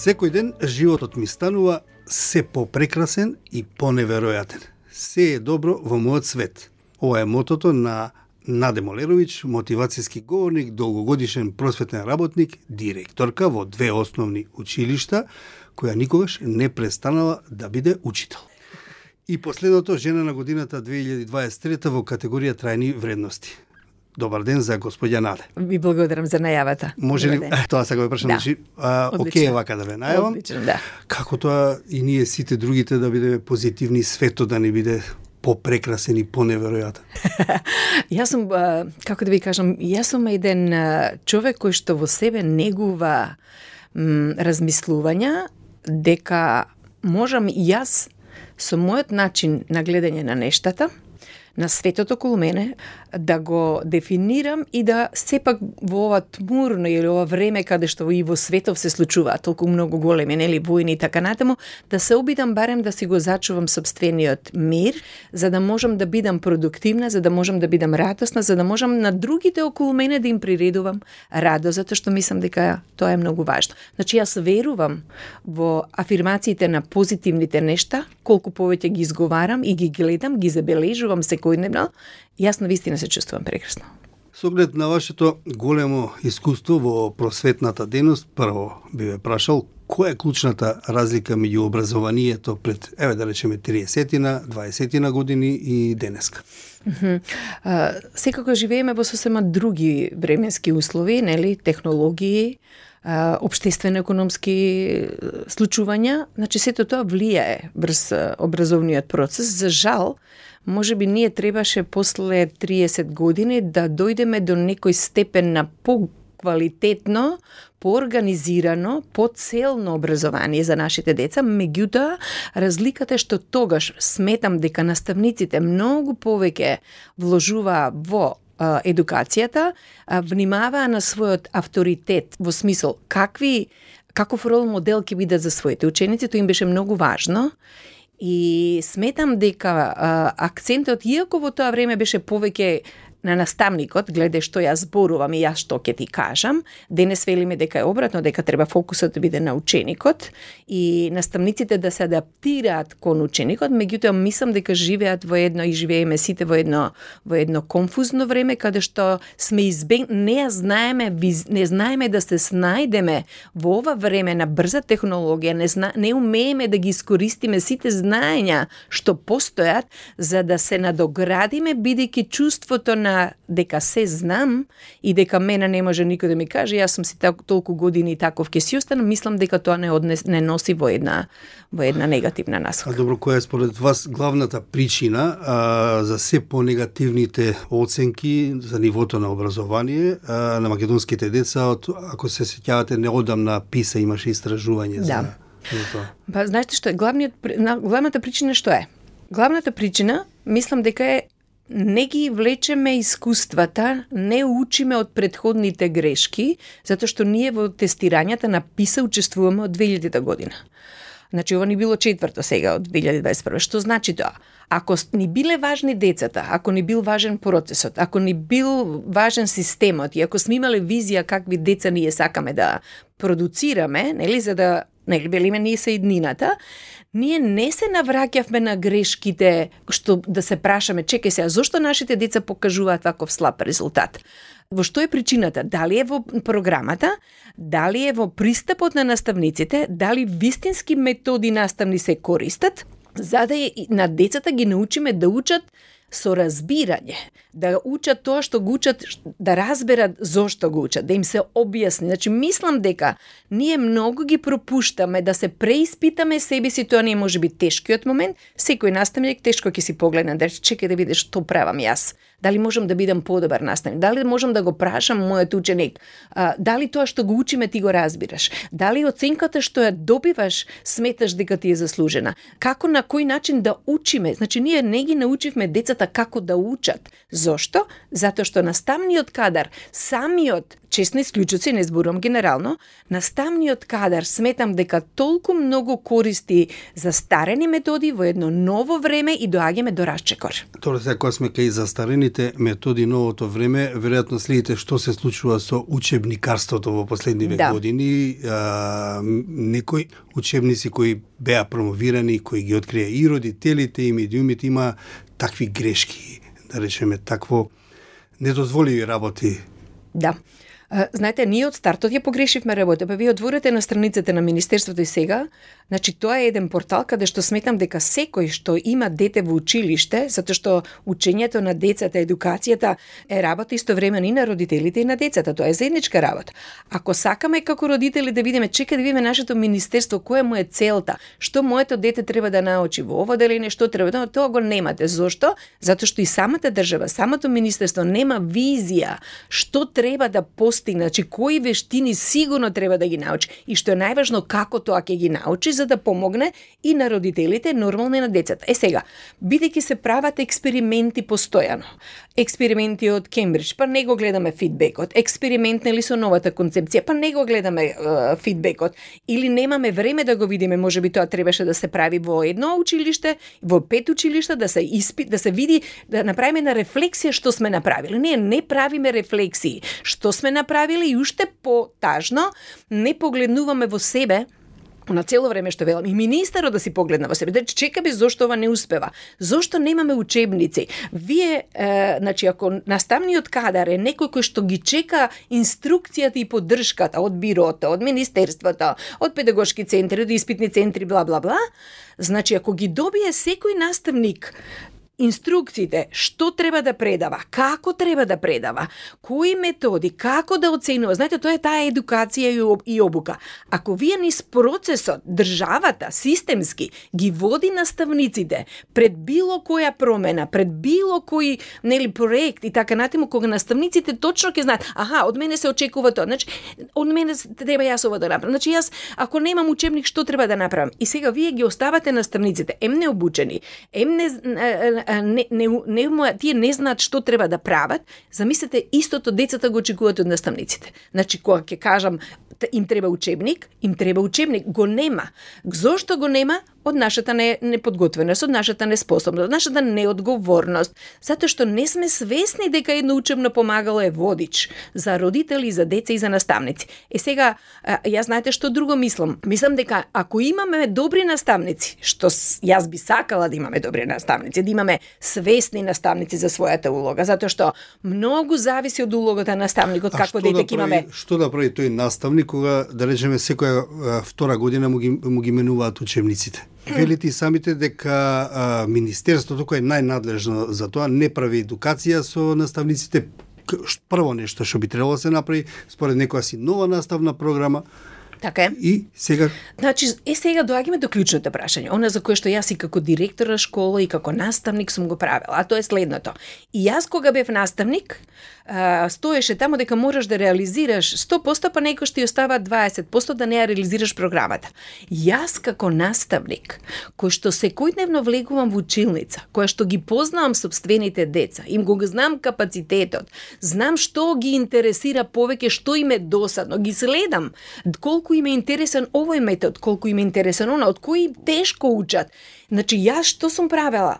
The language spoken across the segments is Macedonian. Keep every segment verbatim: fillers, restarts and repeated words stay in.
Секој ден животот ми станува се попрекрасен и поневеројатен. Се е добро во мојот свет. Ова е мотото на Наде Молеровиќ, мотивацијски говорник, долгогодишен просветен работник, директорка во две основни училишта, која никогаш не престанала да биде учител. И последното, жена на годината две илјади дваесет и трета во категорија трајни вредности. Добар ден за господја Наде. Ви благодарам за најавата. Може ли, тоа сега ве прашам, значи, да. Океј вака да ве најавам. Одлично, да. Како тоа и ние сите другите да бидеме позитивни, светот да не биде попрекрасен и поневеројатен. Јас сум, како да ви кажам, јас сум еден човек кој што во себе негува м, размислувања дека можам јас со мојот начин на гледање на нештата, на светот околу мене, да го дефинирам и да сепак во ова тмурно или ова време каде што и во светов се случуваат толку многу големи, нели, војни и така натаму, да се обидам барем да си го зачувам собствениот мир, за да можам да бидам продуктивна, за да можам да бидам радосна, за да можам на другите околу мене да им приредувам радост, затоа што мислам дека тоа е многу важно. Значи јас верувам во афирмациите на позитивните нешта, колку повеќе ги изговарам и ги гледам, ги забележувам секојдневно, јас навистина се чувствувам прекрасно. Со оглед на вашето големо искуство во просветната дејност, прво би ве прашал, која е клучната разлика меѓу образованието пред, еве да речеме, триесетина, дваесетина години и денеска? Uh-huh. Uh, секако живееме во сосема други временски услови, нели, технологии, uh, општествено-економски случувања, значи сето тоа влијае врз образовниот процес. За жал, може би ние требаше после триесет години да дојдеме до некој степен на по-квалитетно, поорганизирано, поцелно образование за нашите деца. Меѓутоа, разликата е што тогаш сметам дека наставниците многу повеќе вложуваа во а, едукацијата, а, внимаваа на својот авторитет во смисол какви каков рол модел ќе биде за своите ученици, тоа им беше многу важно. И сметам дека а, акцентот, иако во тоа време беше повеќе на наставникот, гледе што јас зборувам и јас што ќе ти кажам, денес велиме дека е обратно, дека треба фокусот да биде на ученикот и наставниците да се адаптираат кон ученикот, меѓутоа мислам дека живеат во едно и живееме сите во едно во едно конфузно време каде што сме избег не знаеме не знаеме да се снајдеме во ова време на брза технологија, не зна, не умееме да ги искористиме сите знаења што постојат за да се надоградиме бидејќи чувството на дека се знам и дека мене не може никој да ми каже, јас сум си так, толку години таков ќе си останам, мислам дека тоа не однес, не носи во една во една негативна насока. А добро, која е според вас главната причина а, за се понегативните оценки за нивото на образование а, на македонските деца, од, ако се сеќавате, неодамна ПИСА имаше истражување за, да. за тоа? Па знаете што е главниот главната причина што е? Главната причина мислам дека е не ги влечеме искуствата, не учиме од претходните грешки, затоа што ние во тестирањата на ПИСА учествуваме од две илјадета година. Значи, ова ни било четврто сега од две илјади дваесет и прва. Што значи тоа? Ако ни биле важни децата, ако ни бил важен процесот, ако ни бил важен системот и ако сме имале визија какви деца ние сакаме да продуцираме, нели, за да, нели, велиме ние се иднината, ние не се навраќавме на грешките, што да се прашаме, чекај сега, зошто нашите деца покажуваат ваков слаб резултат? Во што е причината? Дали е во програмата, дали е во пристапот на наставниците, дали вистински методи наставни се користат, за да на децата ги научиме да учат со разбирање, да учат тоа што го учат, да разберат зошто го учат, да им се објасни. Значи, мислам дека ние многу ги пропуштаме да се преиспитаме себе си, тоа не може би тешкиот момент. Секој наставник тешко ќе си погледне, да рече, чекај да видиш што правам јас. Дали можам да бидам подобар наставник? Дали можам да го прашам мојот ученик? А, дали тоа што го учиме ти го разбираш? Дали оценката што ја добиваш сметаш дека ти е заслужена? Како, на кој начин да учиме? Значи, ние не ги научивме децата децата како да учат. Зошто? Затоа што наставниот кадар, самиот, честни исклучоци, не зборувам генерално, наставниот кадар сметам дека толку многу користи за старени методи во едно ново време и доаѓаме до расчекор. Тоа се кога сме кај застарените методи новото време, веројатно следите што се случува со учебникарството во последниве да. години. А, некои учебници кои беа промовирани, кои ги открија и родителите и медиумите, има такви грешки, да речеме такво недозволиви работи. Да. Знаете, ние од стартот ја погрешивме работа, па вие отворите на страниците на Министерството и сега, значи тоа е еден портал каде што сметам дека секој што има дете во училиште, затоа што учењето на децата, едукацијата е работа истовремено и на родителите и на децата, тоа е заедничка работа. Ако сакаме како родители да видиме, чека да видиме нашето министерство, која му е целта, што моето дете треба да научи во ова делење, што треба да, тоа го немате. Зошто? Затоа што и самата држава, самото министерство нема визија што треба да постигне, значи кои вештини сигурно треба да ги научи и што е најважно како тоа ќе ги научи за да помогне и на родителите, нормално и на децата. Е сега, бидејќи се прават експерименти постојано, експерименти од Кембридж, па не го гледаме фидбекот, експеримент нели со новата концепција, па не го гледаме е, фидбекот, или немаме време да го видиме, можеби тоа требаше да се прави во едно училиште, во пет училишта, да се испит, да се види, да направиме на рефлексија што сме направили. Не, не правиме рефлексии што сме направили и уште потажно не погледнуваме во себе на цело време што велам, и министерот да си погледна во себе, да чекаме зошто ова не успева, зошто немаме учебници. Вие, е, значи, ако наставниот кадар е некој кој што ги чека инструкцијата и поддршката од бирото, од министерството, од педагошки центри, од испитни центри, бла, бла, бла, значи, ако ги добие секој наставник инструкциите, што треба да предава, како треба да предава, кои методи, како да оценува. Знаете, тоа е таа едукација и обука. Ако вие низ процесот, државата, системски, ги води наставниците пред било која промена, пред било кој нели проект и така натаму, кога наставниците точно ќе знаат, аха, од мене се очекува тоа, значи, од мене треба јас ова да направам. Значи, јас, ако немам учебник, што треба да направам? И сега вие ги оставате наставниците, ем необучени, ем не Не, не, не, тие не знаат што треба да прават, замислете, истото децата го очекуваат од наставниците. Значи, кога ќе кажам, им треба учебник, им треба учебник, го нема. Зошто го нема? Од нашата не, неподготвеност, од нашата неспособност, од нашата неодговорност, затоа што не сме свесни дека едно учебно помагало е водич за родители, за деца и за наставници. Е сега, јас знаете што друго мислам? Мислам дека ако имаме добри наставници, што јас би сакала да имаме добри наставници, да имаме свесни наставници за својата улога, затоа што многу зависи од улогата на наставникот, какво дете ќе имаме. Што да прави тој наставник кога, да речеме, секоја втора година му ги, му ги менуваат учебниците? Велите и самите дека а, Министерството, кој е најнадлежно за тоа, не прави едукација со наставниците. Прво нешто што би требало да се направи, според некоја си нова наставна програма. Така е. И сега... Значи, е сега доаѓаме до клучното прашање, она за кое што јас и како директор на школа и како наставник сум го правила, а тоа е следното. И јас кога бев наставник, стоеше тамо дека можеш да реализираш сто проценти, па некој што ти остава дваесет проценти да не ја реализираш програмата. Јас како наставник, кој што секојдневно влегувам во училница, која што ги познавам собствените деца, им го знам капацитетот, знам што ги интересира повеќе, што им е досадно, ги следам, колку им е интересен овој метод, колку им е интересен она, од кои тешко учат. Значи, јас што сум правела?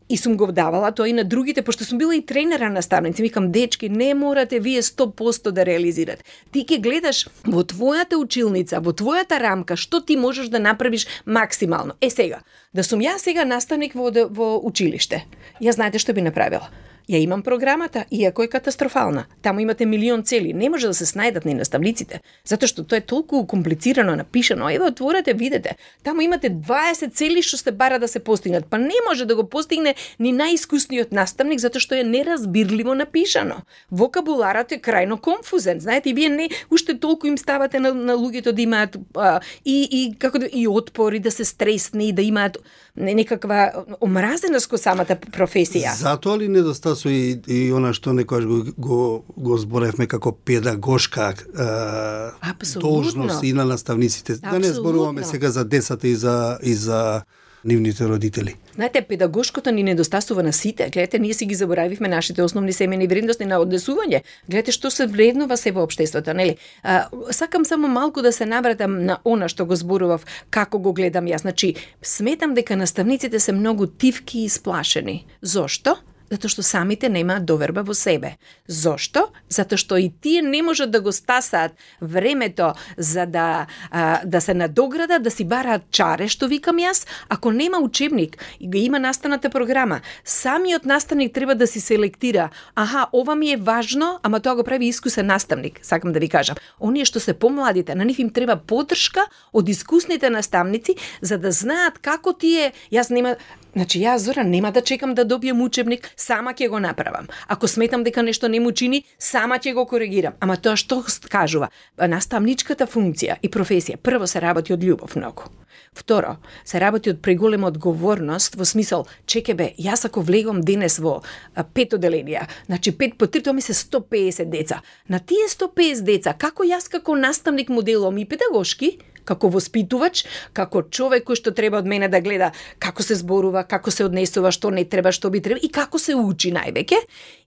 И сум го давала тоа и на другите, пошто сум била и тренера наставници. Викам, дечки, не морате вие сто проценти да реализирате. Ти ќе гледаш во твојата училница, во твојата рамка, што ти можеш да направиш максимално. Е сега, да сум ја сега наставник во, во училиште, ја знаете што би направила? Ја имам програмата, иако е катастрофална. Таму имате милион цели, не може да се снајдат ни наставниците, затоа што тоа е толку комплицирано напишано. Еве, отворете, видете. Таму имате дваесет цели што се бара да се постигнат, па не може да го постигне ни најискусниот наставник затоа што е неразбирливо напишано. Вокабуларот е крајно конфузен. Знаете, и вие не уште толку им ставате на, на луѓето да имаат а, и и како да и отпори, да се стресни, да имаат некаква омразеност кон самата професија. Затоа ли недостатоци и, и она што некојаш го, го, го зборевме како педагошка е, должност и на наставниците. Абсолютно. Да не зборуваме сега за децата и за, и за нивните родители. Знаете, педагошкото ни недостасува на сите. Гледате, ние си ги заборавивме нашите основни семени вредности на однесување. Гледате што се вреднува се во општеството, нели? А, сакам само малку да се навратам на она што го зборував, како го гледам јас. Значи, сметам дека наставниците се многу тивки и сплашени. Зошто? Затоа што самите немаат доверба во себе. Зошто? Затоа што и тие не можат да го стасаат времето за да а, да се надоградат, да си бараат чаре, што викам јас, ако нема учебник и го има наставната програма. Самиот наставник треба да си селектира. Аха, ова ми е важно, ама тоа го прави искусен наставник, сакам да ви кажам. Оние што се помладите, на нив им треба поддршка од искусните наставници за да знаат како тие, јас нема Значи, јас, Зора, нема да чекам да добием учебник, сама ќе го направам. Ако сметам дека нешто не му чини, сама ќе го коригирам. Ама тоа што кажува? Наставничката функција и професија, прво се работи од љубов многу. Второ, се работи од преголема одговорност во смисол, чеке бе, јас ако влегам денес во а, пет оделенија, значи пет по три, тоа ми се сто песет деца. На тие сто песет деца, како јас како наставник моделом и педагошки, како воспитувач, како човек кој што треба од мене да гледа како се зборува, како се однесува, што не треба, што би треба и како се учи највеќе.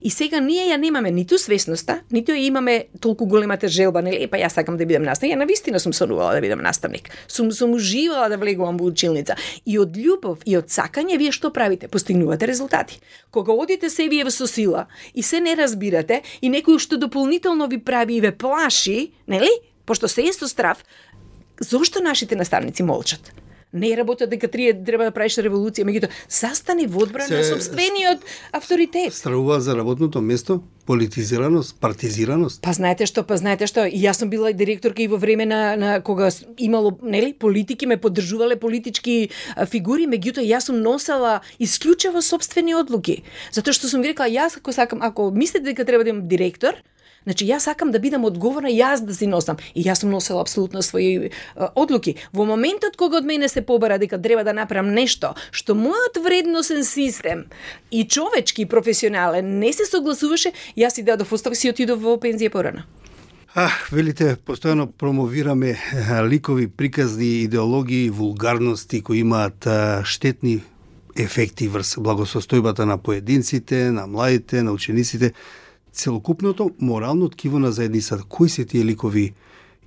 И сега ние ја немаме ниту свесноста, ниту ја имаме толку големата желба, нели, па јас сакам да бидам наставник. Ја навистина сум сонувала да бидам наставник. Сум сум уживала да влегувам во училница. И од љубов и од сакање вие што правите? Постигнувате резултати. Кога одите себе со сила и се не разбирате и некој што дополнително ви прави и ве плаши, нели? Пошто се е со страв, зошто нашите наставници молчат? Не работат дека треба да правиш револуција, меѓутоа застани во одбрана на сопствениот авторитет. Стравува за работното место, политизираност, партизираност. Па знаете што, па знаете што, и јас сум била директорка и во време на, на кога имало, нели, политики ме поддржувале политички а, фигури, меѓутоа јас сум носела исклучиво сопствени одлуки. Затоа што сум рекла, јас ако сакам, ако мислите дека треба да имам директор, значи, јас сакам да бидам одговорна, јас да си носам. И јас сум носела апсолутно своји а, одлуки. Во моментот кога од мене се побара дека треба да направам нешто што мојот вредносен систем и човечки, и професионален не се согласуваше, јас си дадов оставка, си отидов во пензија порано. А, велите, постојано промовираме а, ликови, приказни, идеологии, вулгарности кои имаат а, штетни ефекти врз благосостојбата на поединците, на младите, на учениците. Целокупното морално ткиво на заедницата. Кои се тие ликови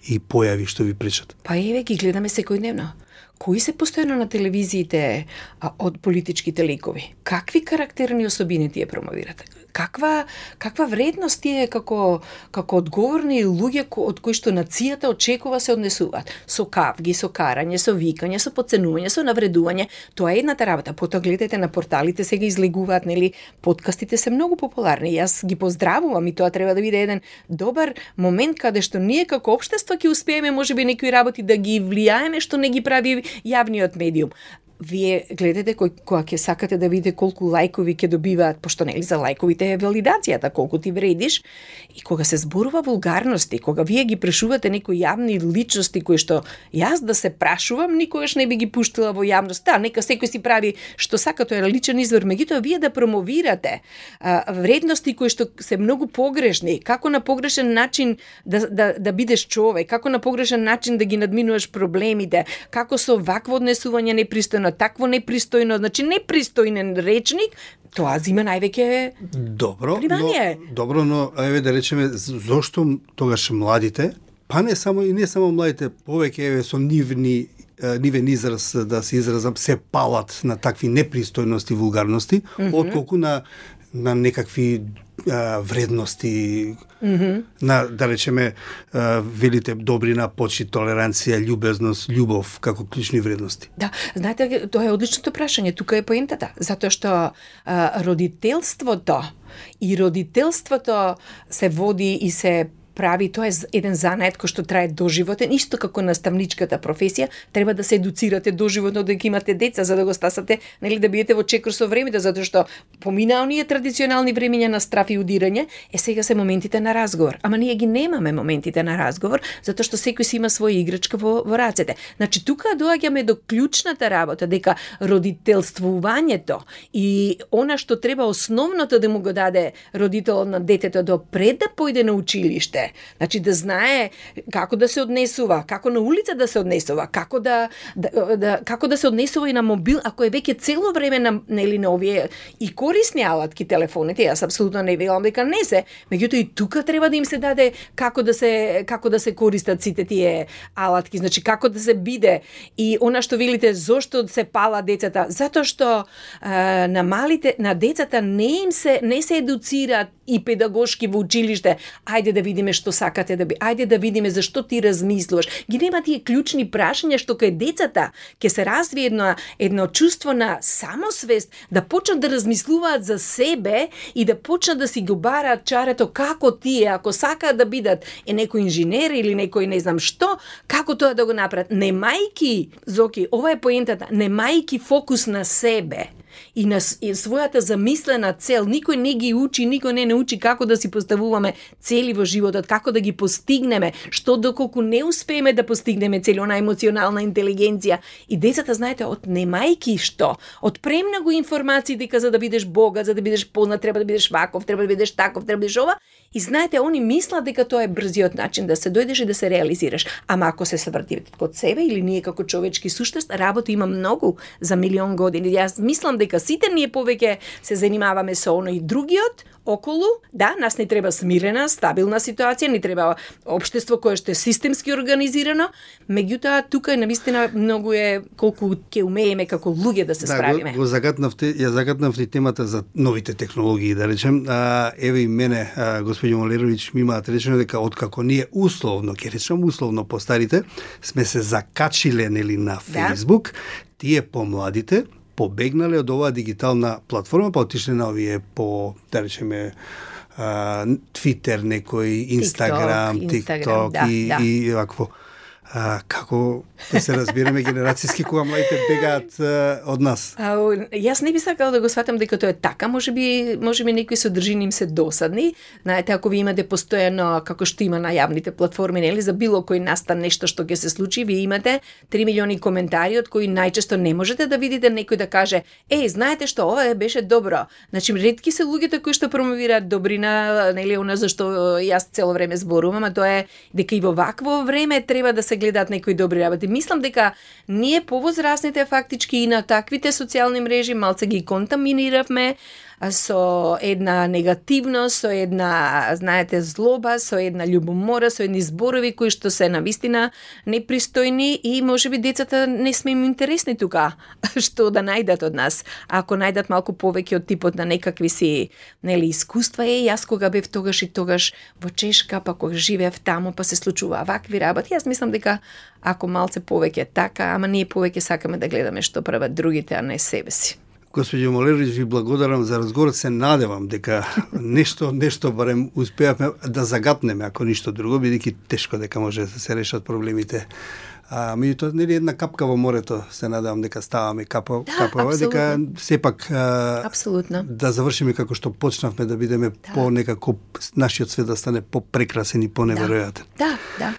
и појави што ви пречат? Па еве ги гледаме секојдневно. Кои се постојано на телевизиите а, од политичките ликови? Какви карактерни особини тие промовирате? Каква каква вредност тие како како одговорни луѓе од кои што нацијата очекува се однесуваат? Со кавги, со карање, со викање, со подценување, со навредување. Тоа е едната работа. Потоа гледате на порталите сега излегуваат, нели, подкастите се многу популарни. Јас ги поздравувам и тоа треба да биде еден добар момент каде што ние како општество ќе успееме можеби некои работи да ги влијаеме што не ги прави јавниот медиум. Вие гледате кој, кога ќе сакате да видите колку лајкови ќе добиваат, пошто нели за лајковите е валидацијата, колку ти вредиш, и кога се зборува вулгарности, кога вие ги прашувате некои јавни личности кои што јас да се прашувам, никогаш не би ги пуштила во јавност. Да, нека секој си прави што сака, тоа е личен извор, меѓутоа вие да промовирате а, вредности кои што се многу погрешни, како на погрешен начин да, да, да бидеш човек, како на погрешен начин да ги надминуваш проблемите, како со вакво однесување непристојно, такво непристојно, значи непристојнен речник, тоа зима највеќе добро, внимание. Но, добро, но еве да речеме зошто тогаш младите, па не само и не само младите, повеќе еве со нивни нивен израз да се изразам се палат на такви непристојности, вулгарности, mm -hmm. отколку на на некакви а, вредности, mm -hmm. на, да речеме, а, велите добрина, почит, толеранција, љубезност, љубов, како клучни вредности. Да, знаете, тоа е одличното прашање, тука е поентата, затоа што а, родителството и родителството се води и се прави, тоа е еден занает кој што трае доживотен, исто како наставничката професија, треба да се едуцирате доживотно дека имате деца за да го стасате, нели да бидете во чекор со времето, затоа што помина оние традиционални времиња на страф и удирање, е сега се моментите на разговор. Ама ние ги немаме моментите на разговор, затоа што секој си има своја играчка во, во рацете. Значи тука доаѓаме до клучната работа дека родителствувањето и она што треба основното да му го даде родителот на детето до пред да појде на училиште, улице. Значи да знае како да се однесува, како на улица да се однесува, како да, да, да како да се однесува и на мобил, ако е веќе цело време на нели на овие и корисни алатки телефоните, јас апсолутно не велам дека не се, меѓутоа и тука треба да им се даде како да се како да се користат сите тие алатки, значи како да се биде. И она што велите зошто се пала децата, затоа што а, на малите на децата не им се не се едуцираат и педагошки во училиште. Ајде да видиме што сакате да би. Ајде да видиме зашто ти размислуваш. Ги нема тие клучни прашања што кај децата ќе се развие едно едно чувство на самосвест, да почнат да размислуваат за себе и да почнат да си го бараат чарето како тие, ако сакаат да бидат е некој инженер или некој не знам што, како тоа да го направат. Немајки, Зоки, ова е поентата, немајки фокус на себе и на и својата замислена цел. Никој не ги учи, никој не научи како да си поставуваме цели во животот, како да ги постигнеме, што доколку не успееме да постигнеме цели, она емоционална интелигенција. И децата, знаете, од немајки што, од премногу информации дека за да бидеш богат, за да бидеш познат, треба да бидеш ваков, треба да бидеш таков, треба да бидеш ова. И знаете, они мислат дека тоа е брзиот начин да се дојдеш и да се реализираш. Ама ако се сврти код себе или ние како човечки суштест, работа има многу за милион години. Јас мислам дека сите ние повеќе се занимаваме со оно и другиот околу. Да, нас не треба смирена, стабилна ситуација, не треба општество кое што е системски организирано, меѓутоа тука навистина многу е колку ќе умееме како луѓе да се да, справиме. Го, го загатнавте, ја загатнавте темата за новите технологии, да речем. А, еве и мене, а, господино Молерович, ми имаат речено дека откако ние условно, ќе речем условно по старите, сме се закачиле нели на Facebook, да? Тие помладите побегнале од оваа дигитална платформа, па отишле на овие по, да речеме, Twitter, некој, Instagram, TikTok, TikTok да, и, да. и вакво. А, како да се разбираме генерацијски кога младите бегаат а, од нас? А, јас не би сакала да го сватам дека тоа е така, можеби можеби некои содржини им се досадни. Знаете, ако ви имате постојано како што има на јавните платформи, нели, за било кој настан нешто што ќе се случи, ви имате три милиони коментари од кои најчесто не можете да видите некој да каже: "Еј, знаете што, ова беше добро." Значи, ретки се луѓето кои што промовираат добрина, нели, она за што јас цело време зборувам, а тоа е дека и во вакво време треба да се гледаат некои добри работи. Мислам дека ние повозрасните фактички и на таквите социјални мрежи малце ги контаминиравме со една негативност, со една, знаете, злоба, со една љубомора, со едни зборови кои што се навистина непристојни и можеби децата не сме им интересни тука што да најдат од нас. А ако најдат малку повеќе од типот на некакви си, нели, искуства, е, јас кога бев тогаш и тогаш во Чешка, па кога живеев таму, па се случува вакви работи, јас мислам дека ако малце повеќе така, ама ние повеќе сакаме да гледаме што прават другите, а не себе си. Господи Молерович, ви благодарам за разговорот, се надевам дека нешто нешто барем успеавме да загатнеме, ако ништо друго, бидејќи тешко дека може да се решат проблемите. А меѓутоа, нели, една капка во морето, се надевам дека ставаме капа, да, капа, дека сепак а, апсолутно да завршиме како што почнавме, да бидеме да. по некако нашиот свет да стане попрекрасен и поневеројатен. Да, да.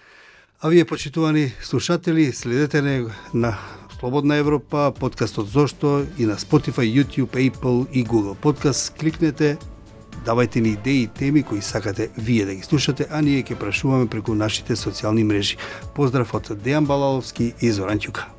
А вие, почитувани слушатели, следете не на Слободна Европа, подкастот Зошто и на Spotify, YouTube, Apple и Google Podcast. Кликнете, давајте ни идеи и теми кои сакате вие да ги слушате, а ние ќе прашуваме преку нашите социјални мрежи. Поздрав од Дејан Балаловски и Зоран Ќука.